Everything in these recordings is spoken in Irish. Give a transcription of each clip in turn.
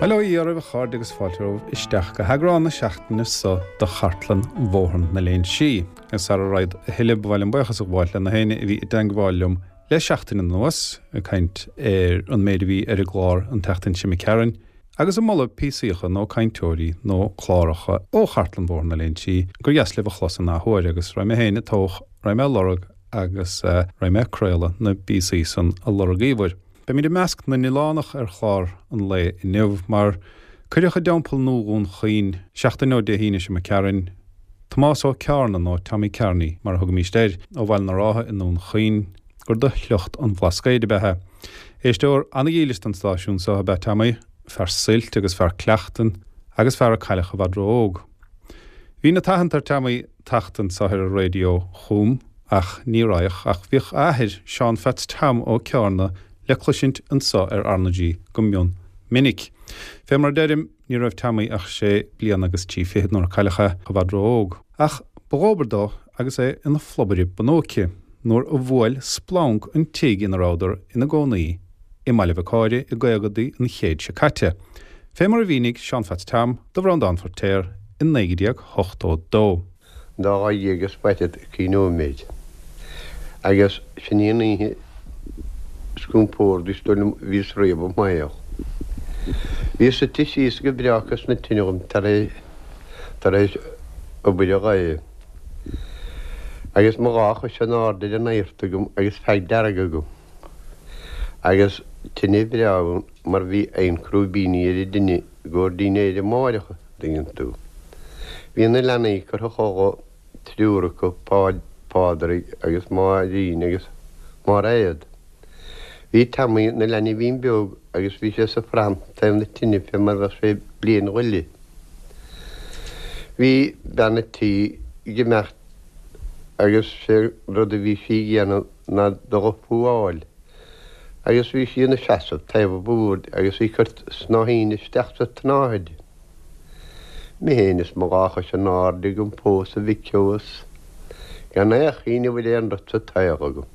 Bail ó Dhia oraibh a chairde agus fáilte romhaibh isteach go heagrán na seachtaine so de Chartlann Bhóthar na Léinsí. Agus sara raghad a thuilleadh ba mhaith liom buíochas a ghabháil le na héinne a bhí i dteangmháil liom le seachtain anuas, ag caint ar an méid a bhí ar an gclár an tseachtain seo imigh tharainn, agus ag moladh píosaíocha nó cainteoirí nó cláracha ó Chartlann Bhóthar na Léinsí gur dheas libh a chlos an athuair agus raghaidh mé féin ag toghadh, raghaidh mé ag lorg agus raghaidh mé ag craoladh na bpíosaí san a lorgaíobhair. Beimid i measc na n-oileánach ar chlár an lae inniu mar cuireadh i dTeampall Nua Dhún Chaoin seachtain ó Dé hAoine seo imigh tharainn, Tomás Ó Ceárna nó Tommy Kearney mar a thugaimíst air, ó Bhaile na Rátha i nDún Chaoin, gur de shliocht an Bhlascaoid ab ea é. Éisteoir an-dhílis don stáisiún seo ab ea Tommy, fear suilt agus fear cleachtain agus fear a cailleadh i bhfad ró-óg. Bhí na tathant ar Tommy tacht anso ar an raidió chugam ach ní raghadh ach bhíodh a athair, Seán Pheats Tom Ó Ceárna le cloisint anso ar RnaG go mion minic. Fé mar a deirim, ní raibh Tommy ach sé bliana agus 30 nuair a cailleadh é, i bhfad ró-óg. Ach ba dhóbair dó agus é ina phlobaire bunóice nuair a bhuail splanc an tigh ina rabhadar ina gcónaí i mBaile Mhic Áire i gcaogadaí an chéid seo caite, fé mar a mhínigh Seán Pheats Tom do Bhreandán Feirtéar i 1982. An dá lá dhéag is faichead trí nóiméid. Agus sin í an oíche is compórdaí is dóigh liom a bhíos riamh i mo shaol. Bhíos suite síos go breá cois na tine dhom tar éis obair an lae. Agus mo dhá chois in airde ar an adhart agam agus feag dearg agam. Agus tine bhreá ann mar bhí oigheann crúibíní ar an dtine i gcomhair dinnéir amáireach, an dtuigeann tú. Bhí na leanaí curtha a chodladh, triúr acu, Pádraig agus Máirín agus Máiréad. Bhí Tommy ina leanbhín beag agus bhí sé sa phram taobh na tine fé mar bheadh sé bliain go leith. Bhí bean a' tí ag imeacht agus sé an rud a bhí sí a dhéanamh ná dul a fuáil agus bhí sí ina seasamh taobh an bhoird agus í ag cur snáithín isteach sa tsnáthaid. Mé féin is mo dhá chois in airde agam fós a mhic ó is gan aon chuimhneamh ar aon rud sa tsaol agam.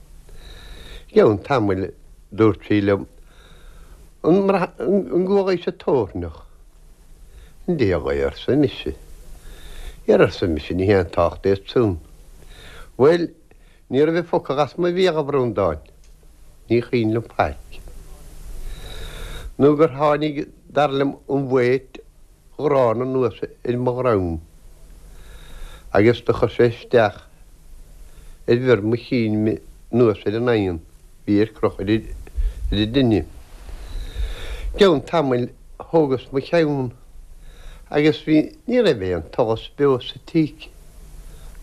I gceann tamaill dúirt sí liom, An gcualaís an toirneach? An diabhal é, arsa mise. Dhera, arsa mise, ní haon tábhacht é san. Bhuel, ní raibh focal as mo bhéal, a Bhreandáin. Ní chuimhin liom faic. Nó gur tháinig, dar liom, an bhaot ghránna anuas ar mo dhroim agus do chuir sé isteach ar bhior mo chinn mé anuas ar an oigheann bhí ar crochadh ar an dtine. I gceann tamaill thógas mo cheann agus bhí, ní raibh aon tsolas beo sa tigh.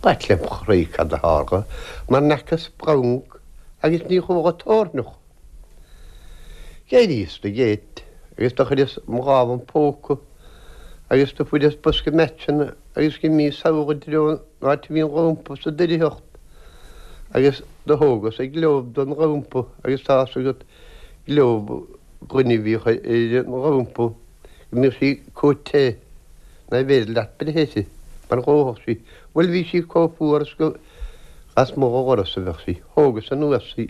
B'ait lem chroí cad a tharla mar n'fheaca splanc agus ní chuala toirneach. D'éiríos de gheit agus do chuireas mo lámh im phóca agus do fuaireas bosca meaitseanna agus dh'imíos sall i dtreo an áit a bhí an lampa sa doircheacht agus do thógas an gleob den lampa agus tá's agat gleob gloine a bhíodh ar an lampa go mbíodh sí comh te ná b'fhéidir leat breith uirthi mar dhófadh sí. Bhuel bhí sí comh fuar is go lasmuigh de dhoras a bheadh sí. Thógas anuas í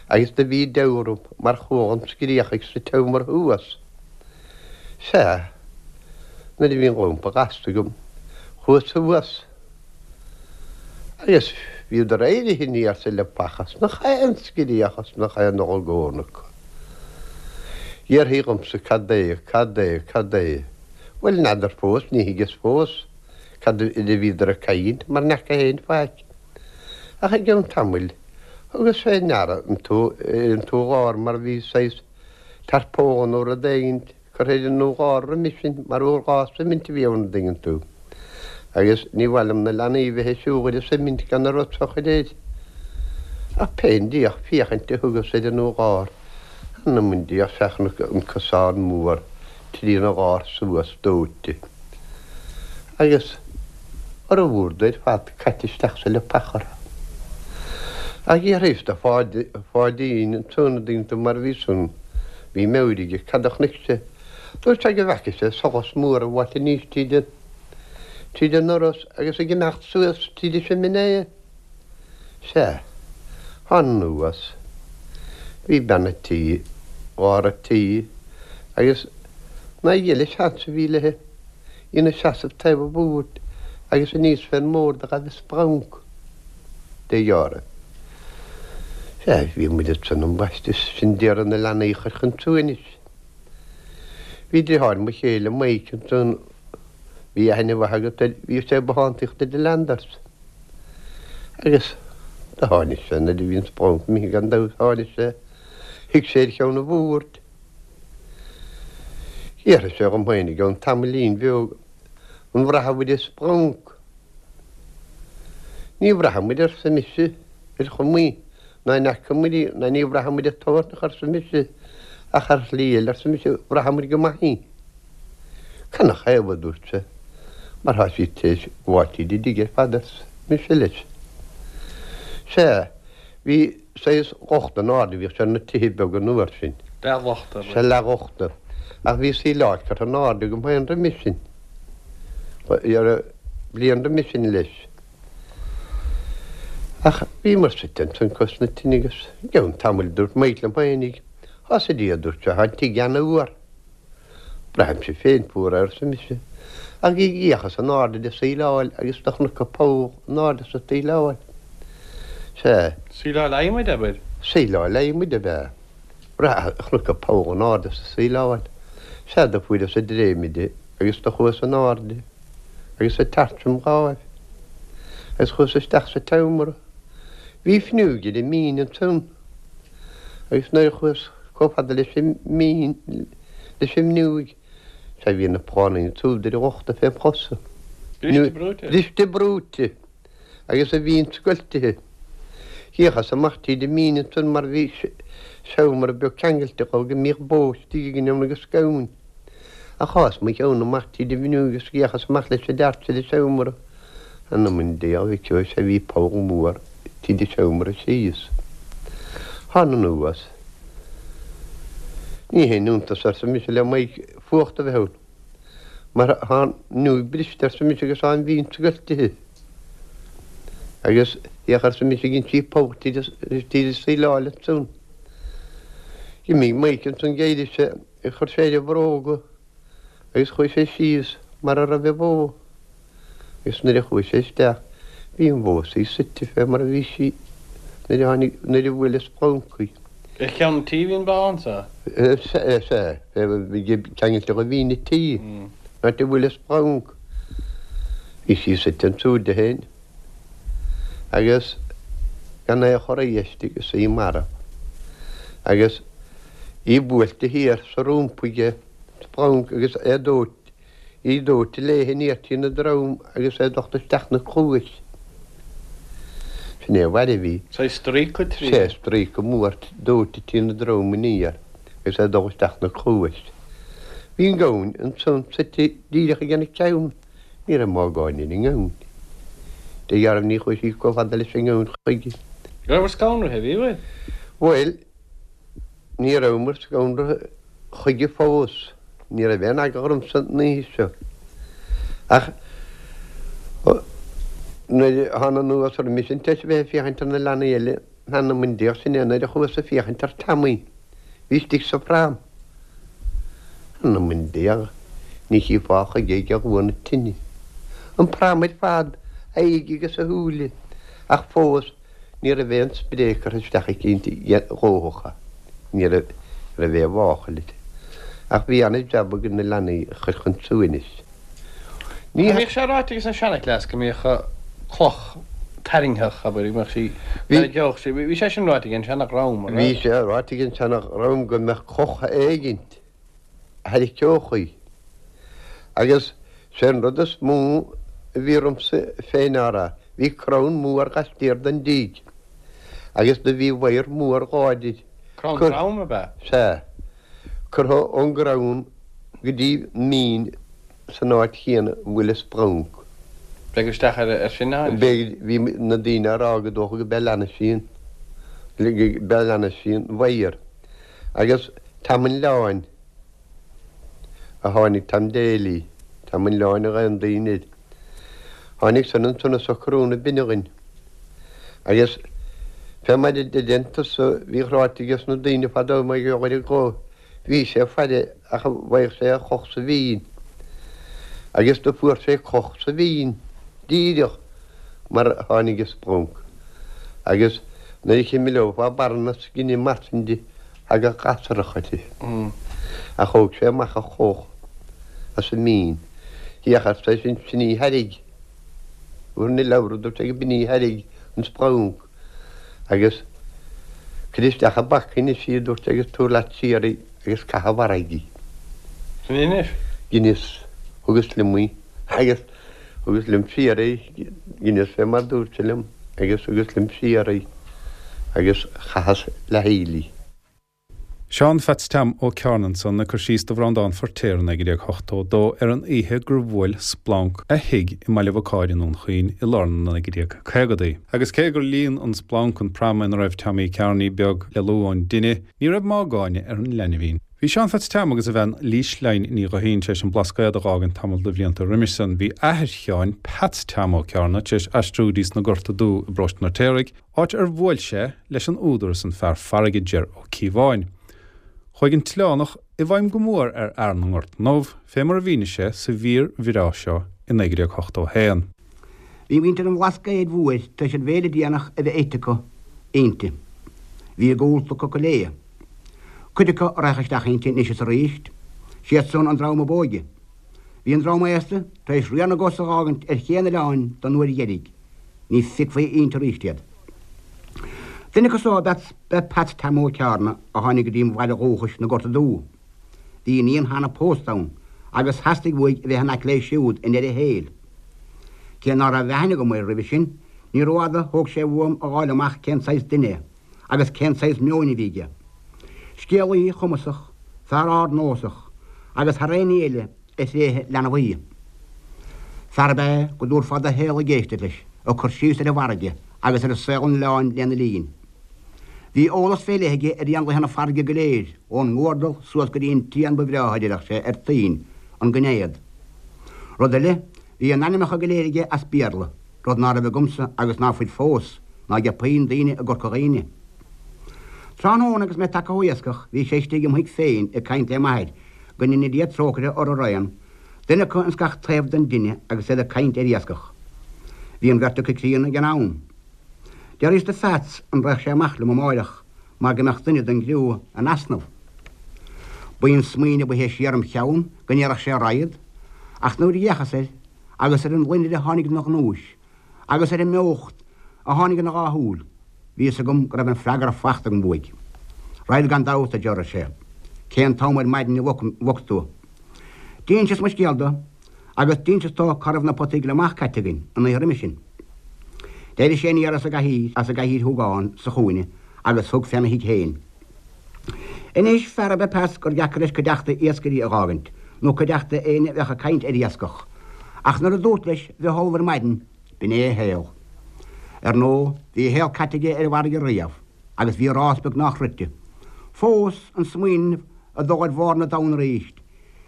agus do bhí deabhadh orm mar chuala an scréachaigh sa tseomra thuas. Sea, nuair a bhí an lampa gasta agam, chuas suas agus bhíodar éirithe aniar sa leapacha 's nach aon scréach is nach aon olagón acu. D'iarrthaí dhomsa cad é, cad é, cad é. Bhuel, n'fheadar fós, ní thuigeas fós. Cad air a bhíodar ag caint mar n'fheaca féin faic. Ach i gceann tamaill thugas fé ndeara an t-urlár mar bhí saghas tarpóla nó rud éigint curtha ar an urlár roimis sin mar urlár suimint a bhí ann an dtuigeann tú. Agus ní mhaith liom na leanaí bheith ag siúl ar an suimint gan an rud so a chur air. Ach pé díreach féachaint a thugas ar an urlár, th'anam 'on diabhal sea chonac an cosán mór trína lár suas dóite. Agus fhormhór de ar fad caite isteach sa leapacha orthu. Ach d'fhiafraíos de Pháidín ansan an dtuigeann tú mar bhí san, bhí meabhair aige, cad a chonaic sé. Dúirt sé go bhfeaca sé solas mór ag fáilt aníos tríd an, tríd an ndoras agus ag imeacht suas tríd an siminé. Sea, thána anuas. Bhí bean a' tí, lár a' tí, agus. Ná gheille seans a bhí léi, í 'na seasamh taobh an bhoird agus aníos fén mbord a ghabh an splanc. Dé ghearradh. Sea, bhí muid ansan ambaiste, sin d'iarraidh na leanaí a chur chun suaimhnis. Bhí driotháir mo chéile, Mike, ansan, bhí aithne mhaith agat air, bhí sé ag bothántaíocht i Landers. Agus do tháinig sé nuair a bhí an splanc imithe gan dabht, tháinig sé, shuigh sé ar cheann an bhoird. D'fhiafraigh sé dhom féin i gceann tamaillín bheag an mbraithfeadh muid an splanc. Ní bhraithfidh muid, arsa mise, ar chuma, ná an fhaca muid í, ná ní bhraithfidh muid an toirneach, arsa mise, ach ar shlí eile, arsa mise, bhraithfidh muid go maith í. Canathaobh, a dúirt sé, mar thá sí tar éis gabháil tríd an dtigh ar fad, arsa mise leis. Sea, bhí saghas lochta in airde, bhíodh sé ar na tithe beaga an uair sin. Leathlochta, ab ea? Sea, leathlochta. Ach bhí síleáil curtha in airde agam féin roimis sin. Bliain roimis sin leis. Ach bhíomar suite ansan cois na tine agus i gceann tamaill dúirt Mike liom féinig, Thá 's a Dia, a dúirt sé, thá an tigh ana-fhuar. Braithimse féin fuar é, arsa mise. Ach d'fhéachas in airde de shíleáil agus do chonac poll in airde sa tsíleáil. Sea. Síleáil adhmaid, abair? Síleáil adhmaid ab ea. Chonac poll in airde sa tsíleáil. Sea, do fuaireas an dréimire agus do chuas in airde. agus an torch im láimh, agus chuas isteach sa tseomra. Bhí fniúig ar an mbinn ansan, agus nuair a chuas chomh fada leis an mbinn, leis an bhfniúig, sea bhí na plánaí ansúd ar an lochta fém chosa. Briste brúite. Briste brúite, agus an bhinn scoiltithe. D'fhéachas amach tríd an mbinn ansan mar bhí seomra beag ceangailte dhó go mbíodh bó istigh againn ann agus gamhain. Ach shás mo cheann amach tríd an bhfniúig agus d'fhéachas amach leis an dteart ar an seomra. Th'anam 'on diabhal a mhic ó, sea bhí poll mór tríd an seomra síos. Thána anuas. Ní haon iontas, arsa mise le Mike, fuacht a bheith ann. Mar thá an fhniúig briste, arsa mise, agus thá an bhinn scoiltithe. Agus féach, arsa mise, dhein sí poll tríd an tsíleáil ansan. D'imigh Mike ansan d'éirigh sé. Chuir sé air a bhróga agus chuaigh sé síos mar a raibh an bhó agus nuair a chuaigh sé isteach bhí an bhó is í suite fé mar a bhí sí nuair a tháinig, nuair a bhuail an splanc í. Ar cheann an tí a bhí an bhó anso? Sea, sea, bhí ceangailte do bhinn an tí, an áit a bhuail an splanc. Bhí sí suite ansúd di féin. agus gan aon chor aisti agus í marbh, agus í buailte thiar sa rumpa aige, splanc agus é dóite, í dóite léithe aniar trína drom agus é docht isteach 'na cluais. Sin é a mhairbh í. Saghas stríoca trí. Sea, stríoca mór dóite trína drom aniar agus é dul isteach 'na cluais. Bhí an gamhain ansan suite díreach aige na ceann. Ní raibh mágáin ar an ngamhain. Dé dhealramh ní chuaigh sí chomh fada leis an ngamhain chuige. Rabhabhair scanraithe, bhí, bhfuil? Bhuel, ní rabhamar scanraithe chuige fós. Ní raibh aon eagla ormsa an oíche seo. Ach nuair a thána anuas roimis an tar éis a bheith ag féachaint ar na leanaí eile, Th'anam 'on diabhal, sin é nuair a chuas ag féachaint ar Tommy. Bhí istigh sa phram. Th'anam 'on diabhal, ní chífeá chuige ag luath na tine. An pram ar fad, a aghaidh agus a shúile, ach fós ní raibh aon spré curtha isteach aici inti dhóthach. Ní raibh aon mháchail uirthi. Ach bhí an-jab againn na leanaí a chur chun suaimhnis. Ní bhíodh sé ráite aige an seanchleas go mbíodh cloch tarraingtheach, abair, go mbeadh sí, tharraingeodh sí, bhí sé sin ráite ag an seanadhream, an raibh? Bhí sé ráite ag an seanadhream go mbeadh cloch éigint a tharraingeodh í. Agus sé an rud is mó a bhí ormsa féin á rá, bhí crann mór laistiar den dtigh agus do bhí wire mór láidir. Crann trom, ab ea? Sea. Curtha ón gcrann go dtí mbinn san áit chéanna a bhfuil an splanc. B'fhéidir isteach air sin a tháinig sé. Bhí na daoine á rá go dócha go b'é lean sí an, go b'é lean sí an wire. Agus Tom an Leáin a tháinig, Tom Daly, Tom an Leáin a ghlaonn daoine air. Tháinig san ansan ag socrú na binne dhuinn. Agus fé mar a deireann tusa, bhíodh ráite ages na daoine fadó mar gheall ar an gcloch. Bhí sé ag faire ach an bhfaigheadh sé a choch sa bhinn. Agus do fuair sé coch sa bhinn díreach mar a tháinig an splúnc. Agus nuair a chimileofá barra na scine mar sin de thagadh gasrach uirthi. Ach thóg sé amach a choch as an mbinn. Féach arsa eisean sin í thairg. Fuair na leabhra dúirt sé go b'in í thairg an splúnc. Agus cuir isteach i bpaca anois í, a dúirt sé, agus tabhair leat siar í agus caith i bhfarraige í. Sin í anois. Dheineas, thugas liom í agus thugas liom siar í, dheineas fé mar dúirt sé liom agus thugas liom siar í agus chaitheas le haill í. Seán Pheats Team Ó Cearna ansan ag cur síos do Bhreandán Feirtéar i 1982 ar an oíche gur bhuail splanc a thigh i mBaile Bhacáir i nDún Chaoin i lár na 1950idí. Agus cé gur líon an splanc an pram ina raibh Tommy Kearney beag le luaith ón dtine, ní raibh mágáine ar an leanbhín. Bhí Seán Pheats Team agus a bhean Lís-Line Ní Ghuithín tar éis an Blascaod a dh'fhágaint tamall de bhlianta roimis san. Bhí athair Sheáin, Peats Team Ó Cearna, tar éis aistriú dtí sna Gorta Dubha i bparóiste an Fheirtéaraigh, áit ar bhuail sé leis an údar is an fear farraige Jer Ó Cíobháin. Chuaigh an t-oileánach i bhfeidhm go mór ar fhear na nGort nDubh, fé mar a mhínigh sé sa mhír bhreá seo i 1981. Bhí muintir an Bhlascaoid Mhóir tar éis an bhéile déanach a bheith ite acu inti. Bhí a gcodlata acu go léith. Cuid acu a raghadh isteach inti anois is aríst, siad san an dream ab óige. Bhí an dream aosta tar éis riar na gcos a dh'fhágaint ar ché an oileáin don uair dheiridh. Ní feicfí inti arís iad. Duine acu so ab ea Peats Team Ó Cearna a tháinig go dtí mo bhaile dhúchais na Gorta Dubha. Bhí iníon cheana pósta ann agus theastaigh uaidh a bheith in aice léi siúd i ndeireadh a shaoil. Cé ná raibh aithne agam air roimhe sin, ní rófhada thóg sé uaim a dh'fháil amach cén saghas duine é agus cén saghas meoin a bhí aige. Scéalaí cumasach, fear ardnósach agus thar aon ní eile, a thréithe leanbhaí. Fear ab ea é go dtabharfá do shaol ag éisteacht leis ag cur síos ar an bhfarraige agus ar saol an oileáin lena linn. Bhí eolas fé leith aige ar éanlaithe na farraige go léir, ón nguardal suas go dtí an t-éan ba bhreátha, a deireadh sé, ar toinn, an gainéad. Rud eile, bhí a n-ainmneacha go léir aige as Béarla, rud ná raibh agamsa agus ná fuil fós, ná ag puinn daoine i gCorca Dhuibhne. Tráthnóna agus mé tagtha ó iascach bhí sé istigh im thigh féin ag caint le m'athair, go ndéana Dia trócaire orthu araon, duine acu ins gach taobh den dtine agus iad ag caint ar iascach. Bhí an bheirt acu críonna ag an am. D'fhiafraíos de Pheats an raghadh sé amach liom amáireach mar go mbeadh duine den gcriú in easnamh. B'í an smaoineamh ba théis siar im cheann go ndéarfadh sé raghad, ach nuair a d'fhéachas air agus ar an loinnir a tháinig ina ghnúis, agus ar an mbeocht a tháinig ina dhá shúil, bhí fhios agam go raibh an freagra fachta agam uaidh. Raghad gan dabht, a Jer, ar sé. Cén t-am ar maidin a bhog tú? D'inseas mo scéal dó, agus d'inseas dó cá raibh na potaí gliomach caite againn an oíche roimis sin. D'éirigh sé aniar as an gcathaoir, as an gcathaoir shúgáin sa chúinne agus thug féna thigh féin. Anois, fear ab ea Peats gur dheacair leis cuideachta iascairí a dh'fhágaint, nó cuideachta éinne a bheadh ag caint ar iascach. Ach nuair a dúrt leis bheith ullamh ar maidin, b'in é a shaol. Ar ndóigh, bhí a shaol caite aige ar an bhfarraige riamh, agus bhí a rás beagnách rite. Fós, an smaoineamh a dhul ar bharr na dtonn aríst,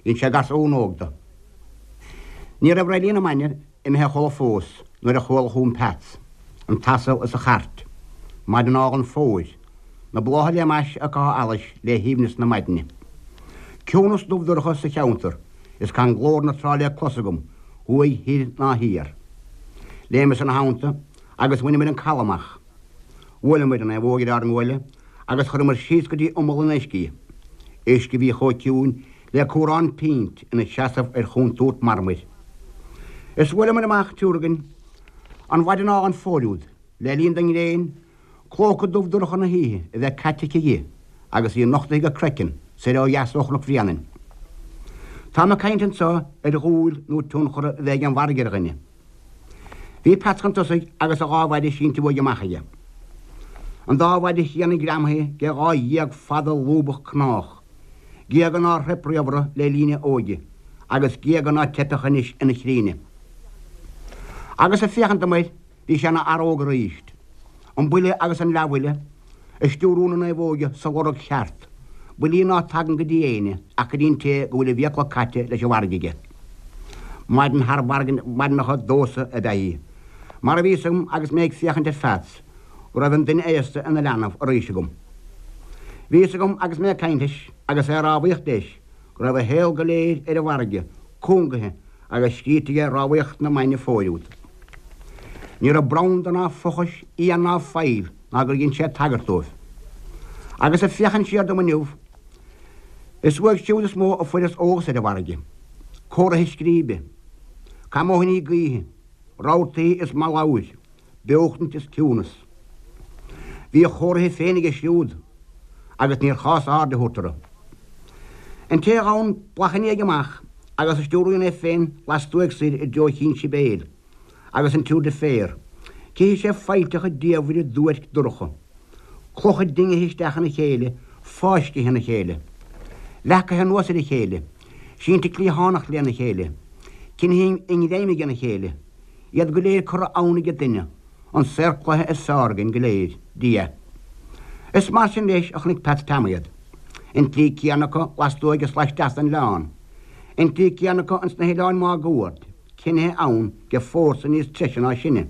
dhein sé garsún óg de. Ní raibh Reilí na Maine imithe a chodladh fós nuair a chuala chugam Peats, an t-asal is a chairt. Maidin álainn fómhair. Na blátha le m'ais ag caitheamh allais le haoibhneas na maidine. Ciúnas dubh dorcha sa cheantar is gan glór na trá le clos agam thuaidh thoir ná thiar. Léimeas ina theannta agus bhaineamair an caladh amach. Bhuaileamair an naomhóg ar ár nguaille agus chuireamair síos go dtí imeall an uisce í. Uisce a bhí chomh ciúin le cumhrán pínt ina seasamh ar chontúirt marmair. Is bhuaileamair amach triúr againn an mhaidin álainn fómhair úd le linn don ngréin clóca dubh dorcha na hoíche a bheith caite aici di agus í nochtaithe go craiceann soir ó dheas ó Chnoc Bhréanainn. Táim ag caint anso ar dhúil nó tionchar a bheith ag an bhfarraige ar dhuine. Bhí Peats chun tosaigh agus a dhá mhaide sínte uaidh amach aige. An dá mhaide chríonna greamaithe de dhá ghéag fada lúbach cnách, géaga nár theip riamh orthu le linn a óige agus géaga ná teipfeadh anois ina chríne. Agus ag féachaint dom air bhí sé ina fhear óg aríst. An buille agus an leathbhuille ag stiúrú na naomhóige sa lorg cheart, buillí ná tagann go dtí éinne ach go dtí an té go bhfuil a bhfiacla caite leis an bhfarraige aige. Maidin thar mhaidineacha domhsa ab ea í, mar a bhí fhios agam agus mé ag féachaint ar Pheats go raibh an duine aosta ina leanbh arís agam. Bhí fhios agam agus mé ag caint leis agus é ag rámhaíocht leis go raibh a shaol go léir ar an bhfarraige cúngaithe agus scríte aige rámhaíocht na mban fóir úd. Ní raibh branda ná fochais, fhiain ná faill ná gur dhein sé tagairt dóibh. Agus ag féachaint siar dom inniu, is uaidh siúd is mó a fuaireas eolas ar an bhfarraige. Comharthaithe scríbe, camóiníní gaoithe, rabhartaí is mallabhair, beochtaint is ciúnas. Bhí a chomharthaithe féin aige siúd agus níor chás aird a thabhairt orthu. An té a ghabhann bealach ina dhiaidh amach agus a stiúraíonn é féin lastuaidh soir i dtreo Chinn Sibéal agus an Trou de Fer, cífidh sé faillteacha diamhaire duairc dorcha, clocha dingithe isteach ina chéile, fáiscthe ina chéile, leacaithe anuas ar a chéile, sínte cliathánach lena chéile, cinnithe i ngreim ag a chéile. Iad go léir curtha ann age duine, an saor cloiche is fearr againn go léir, Dia. Is mar sin leis a chonaic Peats Tom iad. An tslí céanna acu lastuaidh is laisteas den oileán. An tslí céanna acu ins na hoileáin máguaird, cinnithe ann ge fórsa níos treise ná sinne.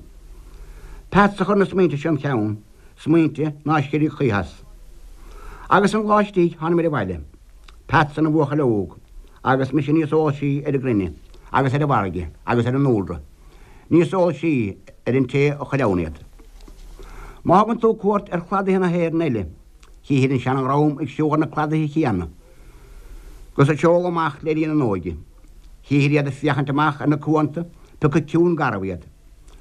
Peats a chuir na smaointe seo im cheann, smaointe ná scirfidh choíche as. Agus an lá istigh thánamair abhaile. Peats ina bhuachaill óg, agus mise níos eolaisí ar an gcruinne, agus ar an bhfarraige, agus ar an ndúlra, níos eolaisí ar an té a chuir ann iad. Má thugann tú cuairt ar chladaithe na hÉireann eile, chífir an seana-dhream ag siúl ar na cladaithe chéanna, 'gus ag seoladh amach le linn a n-óige. Chífir iad ag féachaint amach ar na cuanta, piocadh ciúin garbh iad.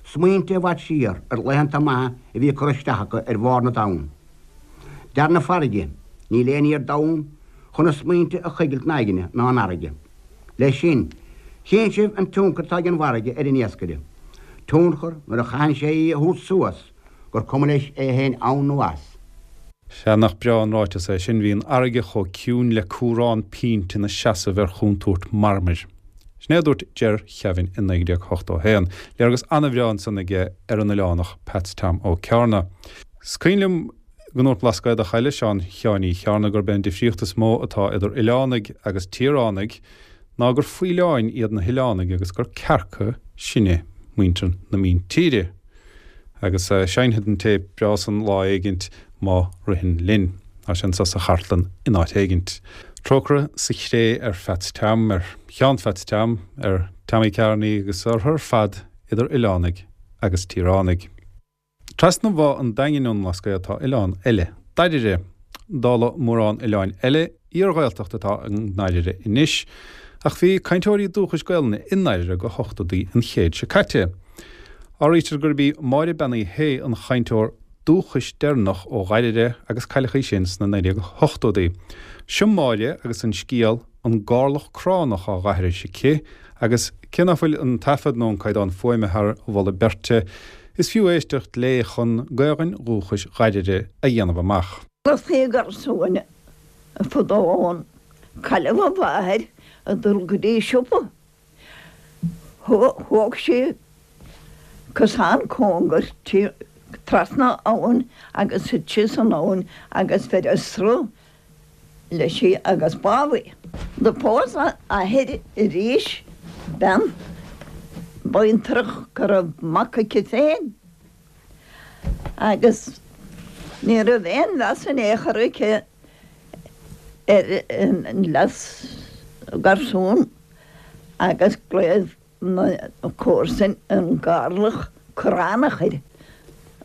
Smaointe i bhfad siar ar laethanta maithe a bhí ag cur isteach acu ar bharr na dtonn. Dar na farraige, níl aon ní ar domhan chun na smaointe a choigilt in aigne ná an fharraige. Leis sin, chíonn sibh an tionchar atá ag an bhfarraige ar an iascaire. Tionchar, nuair a chaitheann sé í a thabhairt suas, gur cuma leis é féin ann nó as. Sea, nach breá an ráiteas é sin, bhí an fharraige chomh ciúin le cumhrán pínte ina seasamh ar chontúirt marmair. Sin é a dúirt Ger Kevin i 1981. Léargas an-bhreá ansan aige ar an oileánach Peats Tom Ó Cearna. Is cuimhin liom go ndúirt Blascaodach eile, Seán Sheáin Uí Chearna, gurb é an difríocht is mó atá idir oileánaigh agus tíoránaigh ná gur faoileáin iad na hoileánaigh agus gur cearca sinne, muintir na míntíre. Agus seinnfead an téip breá san lá éigint má ritheann linn. Tá sé anso sa chartlann in áit éigint. Trócaire sa chré ar Pheats Tom, ar Sheán Pheats Tom, ar Tommy Kearney agus orthu ar fad idir oileánaigh agus tíoránaigh. Trasna Bhá an Daingin ón mBlascaod tá oileán eile, Dairire. Dála mórán oileáin eile, iar-Ghaeltacht atá i nDairire anois, ach bhí cainteoirí dúchais Gaelainne i nDairire go hochtóidí an chéid seo caite. Áirítear gurb í Máire Bean Uí Shé an chainteoir dúchais deireanach ó Dhairire agus cailleadh í sin sna 1980idí. Seo Máire agus an scéal An Garlach Cránach á dh'aithris aici agus cé ná fuil an taifead nó an caighdeán fuaime thar mholadh beirte, Is fiú éisteacht léi chun Gaelainn dhúchais Dhairire a dhéanamh amach. Bhí garsún fadó ann. Cailleadh a mháthair ag dul go dtí siopa. Thóg sí cosán cóngar trasna abhann agus thit sí san abhainn agus bheireadh sruth leis í agus bádh í. Do phós a athair arís bean baintreach go raibh mac aici féin agus ní raibh aon mheas in aon chor aici ar an leas garsún agus glaodh na comharsain an garlach cránach air.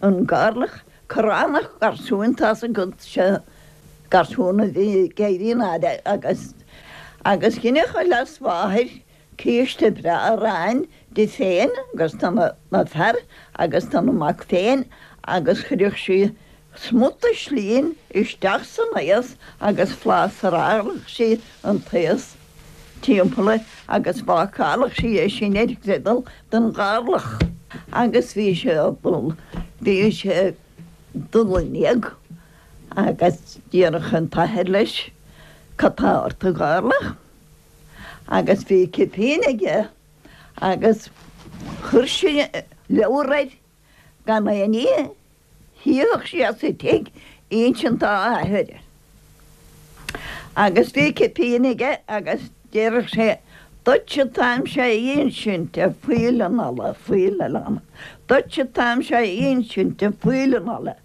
An garlach cránach garsúin tá's agat sé garsún a bhí ag éirí in airde agus agus dheineadh a leasmháthair císte breá aráin di féin agus dona fear agus dona mac féin agus chuireadh sí Smuta slínn isteach san taos agus phlástaráladh sí an taos timpeall air agus bhácáladh sí é sin ar ghriodal don gharlach. Agus bhí sé ag dul, bhí sé ag dul in éag agus déarfadh an t-athair leis, Cad tá ort a gharlach? Agus bhí cipín aige agus chuir sé leabhar air gan aon ní a chífeadh sé sa tigh a insint dá athair. Agus bhí cipín aige agus déarfadh sé, Duitse atáimse a insint, a phoill an fhalla, phoill an fhalla, duitse atáimse a insint, a phoill an fhalla.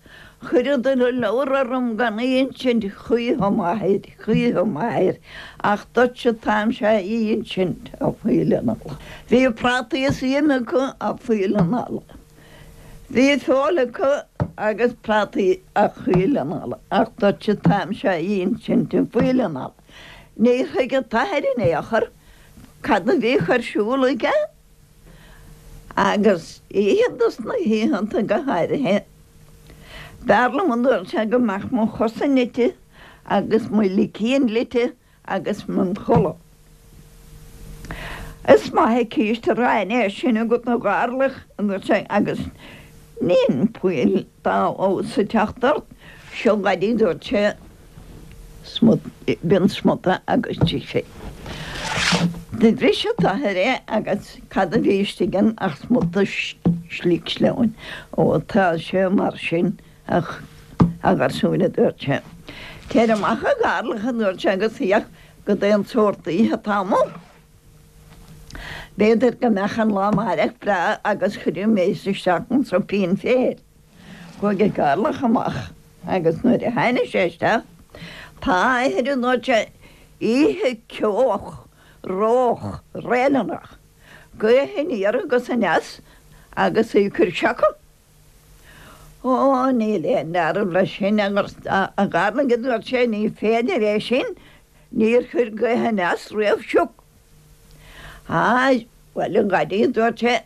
Chuireadar an leabhar orm gan í insint choíche m'athair, choíche m'athair, ach duitse atáimse á insint, a phoill analla. Bhí prátaí is im acu, a phoill analla. Bhí feoil acu agus prátaí, a choill analla, ach duitse atáimse á insint, a phoill analla. Níor thuig an t-athair in aon chor cad a bhíodh ar siúl aige. Agus oíche dos na hoícheanta go háirithe, b'fhearr liom a dúirt sé go mbeadh mo chosa nite agus mo licín lite agus mé im chodladh. Is maith an císte aráin é sin agat a gharlach, a dúirt sé, agus níl poill dá fheabhas ag teacht ort, seo dhaid a dúirt sé. smut, b'in smuta agus d'ith sé. Do bhris an t-athair é agus cad a bhí istigh ann ach smuta slic sleamhain. Ó tá sé mar sin a gharsúin a dúirt sé. Téir amach a gharlach a dúirt sé agus féach cad é an sórt oíche atá amuigh. B'fhéidir go mbeadh an lá amáireach breá agus cuirfidh mé isteach an soipín féir. Chuaigh an Garlach amach agus nuair a tháinig sé isteach, tá a athair a dúirt sé, oíche ceoch, reoch, réileanach, gaoth aniar agus aneas agus í ag cur sioca. Ó, níl aon dealramh leis sin, a Gharlaigh, a dúirt sé, ní féidir é sin, níor chuir gaoth aneas riamh sioc. Á, bhuel, a Dhaidí, a dúirt sé,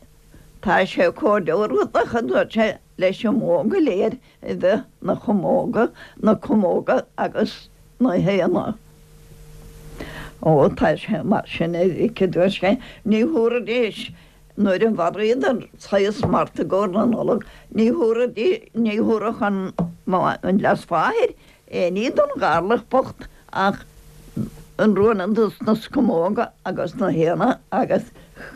Tá sé chomh dearúdach, a dúirt sé, leis an mbó go léir a bheith 'na chamóga, na camóga agus na héana. Ó, tá sé mar sin, a mhic, a dúirt sé, ní thabharfaidís, nuair a mharaíodar saghas mart i gcomhair na Nollag, ní thabharfaidís, ní thabharfadh an, an leasmháthair aon ní don gharlach bocht ach an ruainne dos na scamhóga agus na héana agus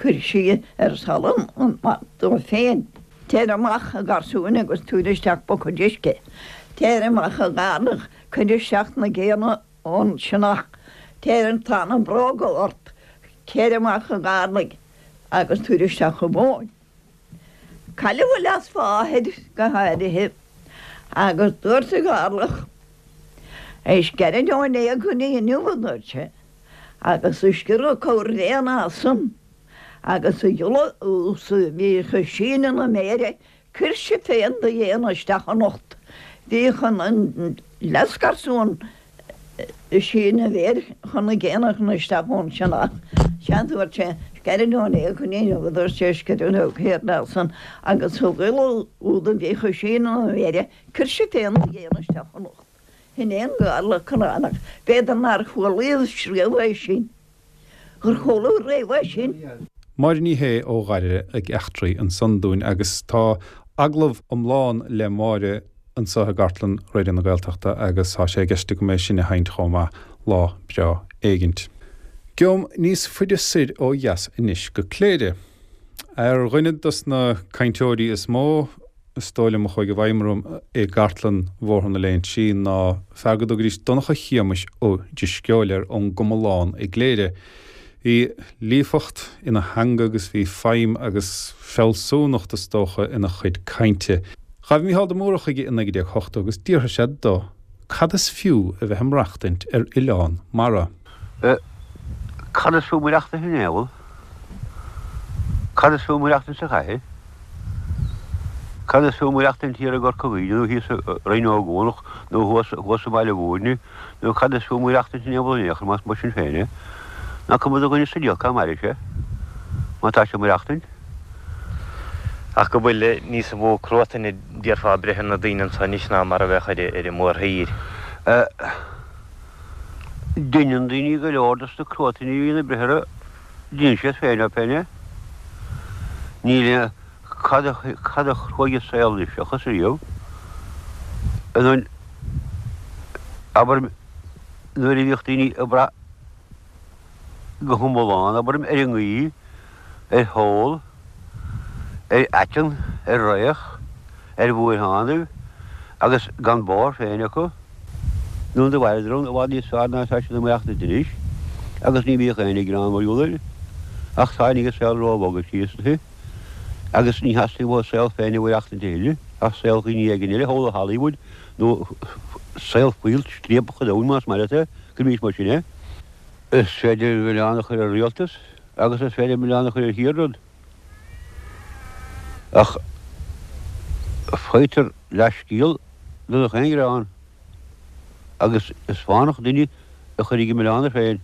chuir sí ar salann an mart dó féin. Téir amach, a gharsúin, agus tabhair isteach buicéad uisce. Téir amach, a gharlach, cuir isteach na géanna ón sionnach. Téir, tá na bróga ort. Téir amach, a gharlaigh, agus tabhair isteach an mhóin. Cailleadh a leasmháthair go háirithe agus dúirt an Garlach, Is gairid ón éag go dtí inniu, a dúirt sé, agus a sciorradh corr-bhéan asam agus a ghiolla ús a bhíodh ag síneadh na méire cuir sibh féin do ghéanna isteach anocht. Bhíodh an leasgharsún ag síneadh a mhéir chun na géanna a chur isteach ón sionnach. Sea, a dúirt sé, is gairid ón éag go dtí inniu, a dúirt sé, sciorradh céard as san agus a ghiolla úd a bhíodh ag síneadh na méire, cuir sibh féin do ghéanna isteach anocht. Shin é an Garlach conránach. B'fhéidir nár chualaidh riamh é sin. Gur chuala riamh é sin. Máire Ní Shé ó Dhoire ag eachtraí ansan dúinn agus tá agallamh iomlán le Máire anseo i gcartlann Raidió na Gaeltachta agus tá sé i gceist agam é sin a sheinnt chomh maith lá breá éigint. Gabhaim níos faide soir ó dheas anois go Cléire. Ar dhuine dos na cainteoirí is mó is dóigh liom a chuaigh i bhfeidhm orm i gcartlann Bhóthar na Léinsí ná fear go dtugaidís Donncha Shéamais Ó Drisceoil air ón gComalán i gCléire. Bhí líofacht ina theanga agus bhí feidhm agus fealsúnacht is dócha ina chuid cainte. Ghabh Mícheál de Mórdha chuige i 1980 agus d'fhiafraigh sé do cad is fiú a bheith ag maireachtaint ar oileán mara. Cad is fiú maireachtaint in aon Cad is fiú maireachtaint sa chathair? Cad is fiú maireachtaint thiar i gCorca Dhuibhne nó thíos i Rinn Ó gCuanach nó thuas thuas i mBaile Mhúirne nó cad is fiú maireachtaint in aon bhall in aon chor más mar sin féin é? Nach cuma do dhuine sa diabhal cá mairfidh sé má tá sé ag maireachtaint? Ach go bhfuil níos mó cruatain a déarfá ag breith ar na daoine anso anois ná mar a bheadh ar an mórthír. Deineann daoine go leor dos na cruatain a bhíonn ag breith orthu, deineann siad féin orthu féin é. Níl aon, cad a, cad a chruaigh an saol anois seachas riamh. An, abair, nuair a bhíodh daoine ag brath go hiomlán, abair, ar an ngaoth, ar sheol, ar aiteann, ar fhraoch, ar bhuarthánaibh, agus gan bóthar féin acu, nó do mhaireadar ann i bhfad níos fearr ná atá siad ag maireachtaint anois, agus ní bhíodh aon gearán mar gheall air, ach tháinig an saol róbhog síos, agus ní theastaíonn uathu a saol féin a mhaireachtaint a thuilleadh. Ach saol dhaoine éigin eile thall i Hollywood nó saol fuíoll striapach an domhain más maith leat é, go mbíodh mar sin é. Is féidir milleán a chur ar rialtas agus is féidir milleán a chur ar thír-rud. Ach faightear leathscéal de gach aon ghearán agus is fánach duine a chuirfidh an milleán air féin.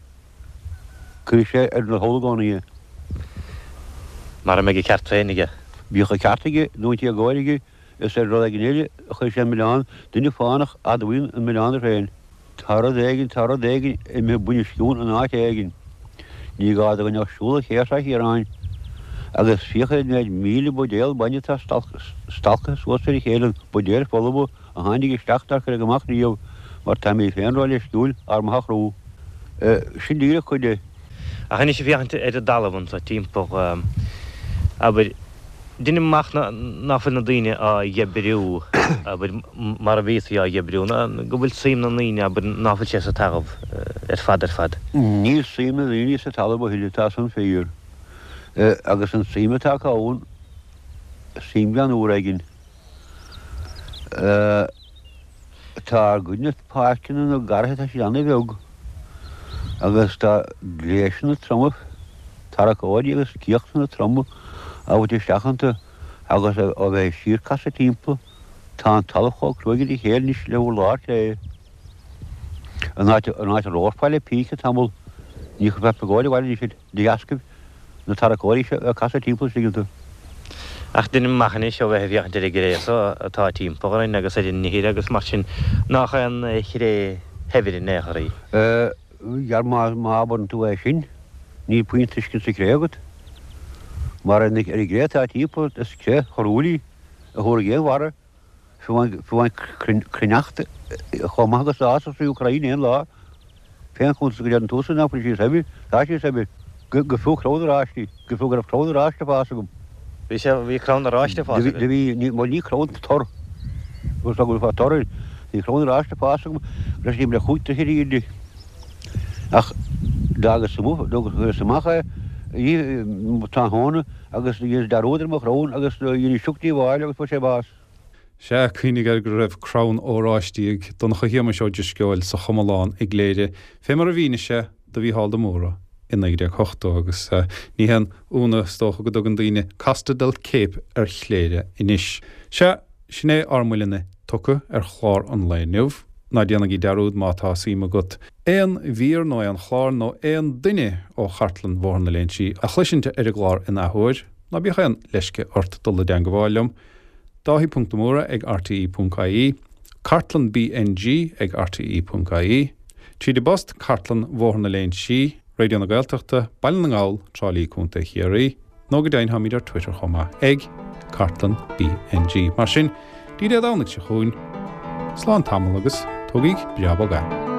Cuirfidh sé ar na thall i gcónaí é. Mara mbeidh a cheart féin aige. Bíodh a cheart aige nó an t-éagóir aige, is ar rud éigin eile a chuirfidh sé an milleán, duine fánach a admhaíonn an milleán air féin. Tá rud éigin, tá rud éigin imithe bunoscionn in áit éigin. Ní gá do dhuine ach siúl ar Ché Thrá Chiaráin agus féach ar an méid míle buidéal bainne atá stalcaithe suas ar a chéile, buidéil folamha a tháinig isteach nár cuireadh amach riamh mar táimid féin róleisciúil ár mbeatha a chrú. Sin díreach cuid de. Ach anois ag féachaint ar an dtalamh anso timpeall, abair, deinim amach ná fuil na daoine á dh'oibriú, abair, mar a bhíotaí á dh'oibriú, ná go bhfuil suim na ndaoine, abair, ná fuil sé sa talamh ar fad ar fad. Níl suim na ndaoine sa talamh a thuilleadh, tá san fíor. Agus an tsuim atá acu ann, suim gan úr éigin. Tá ár gcuid na páirceanna na garraithe tá siad ana-bheag agus tá gléasanna troma, tarracóirí agus céachtanna troma á bhfaighte isteach iontu agus á bheith ag síor-casadh timpeall. Tá an talamh chomh cruaidh ar a chéile anois le hurlár cré. An áit a romharfá le píce tamall ní chuirfeá piogóid abhaile anois air. De dheascaibh na tarracóirí seo ag casadh timpeall istigh iontu. Ach deinim amach anois ó bheith ag féachaint ar an gcré so atá timpeall orainn agus ar an ithir agus mar sin, nách aon chré shaibhir in aon chor í. Dhera, má abrann tú é sin, níl puinn tuiscint sa chré agat. Mar ar an gcré atá timpeall ort, is cré chorrúil í a thabharfaidh aon bharra. Fiú amháin cruithneacht chomh maith agus d'fhásfadh tríú crainn aon lá. Fén chuntas go ndeireann tusa nach bhfuil sí saibhir, tá sí saibhir. Go fiú crann oráistí, go fiú go raibh crann oráiste ag fás agam. Bhí sé, bhí crann oráiste ag fás agat? Do bhí, bhuel ní crann, tor. Agus tá go bhfuil tor air. Bhí crann oráiste ag fás agam, go raibh sé timpeall le chúig troithe ar aoirde. Ach d'fhágas amuigh, d'fhágas amach é, tráthnóna agus dheineas dearúd ar mo chrann agus dhein sioc díobháil agus fuair sé bás. Sea, cuimhnigh air go raibh crann óráistí ag Donncha Shéamais Ó Drisceoil sa Chomalán i gCléire, fé mar a mhínigh sé do Mhícheál de Mórdha i 1980, agus ní haon ionadh is dócha go dtugann daoine Costa del Cape ar Chléire anois. Sea, sin é ár mbuille tugtha ar chlár an lae inniu. Ná déanaigí dearúd má tá suim agat aon mhír nó aon chlár nó aon duine ó chartlann Bhóthar na Léinsí a chloisint ar an gclár in athuair, ná bíodh aon leisce ort dul i dteangabháil liom. Dáithí ponc de Mórdha ag rte ponc ie, Cartlann BNG ag rte ponc ie, Tríd an bpost, Cartlann Bhóthar na Léinsí, Raidió na Gaeltachta, Baile na nGall, Trá Lí, Co. Chiarraí, nó go deimhin táimid ar Twitter chomh maith ag Cartlann BNG. Mar sin, dtí Dé Domhnaigh seo chugainn, slán tamall agus tógaíg breá bog é.